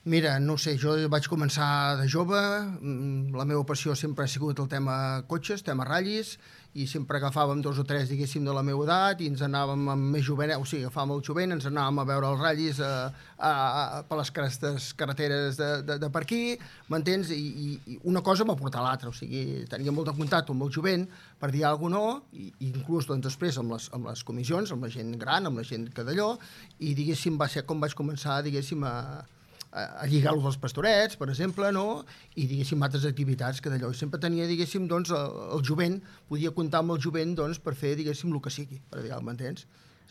Mira, no ho sé, jo vaig començar de jove, la meva passió sempre ha sigut el tema cotxes, tema ratllis, i sempre agafàvem dos o tres, diguéssim, de la meva edat i ens anàvem amb més jovent, o sigui, agafàvem el jovent, ens anàvem a veure els ratllis per les carreteres de per aquí, m'entens? I una cosa va portar l'altra, o sigui, tenia molt de contacte amb el jovent per dir alguna cosa, no, i inclús doncs, després amb les comissions, amb la gent gran, amb la gent que d'allò, i diguéssim, va ser com vaig començar, diguéssim, a lligar-lo dels pastorets, per exemple, no? I, diguéssim, altres activitats que d'allò. I sempre tenia, diguéssim, doncs, el jovent, podia comptar amb el jovent, doncs, per fer, diguéssim, el que sigui, per dir, m'entens?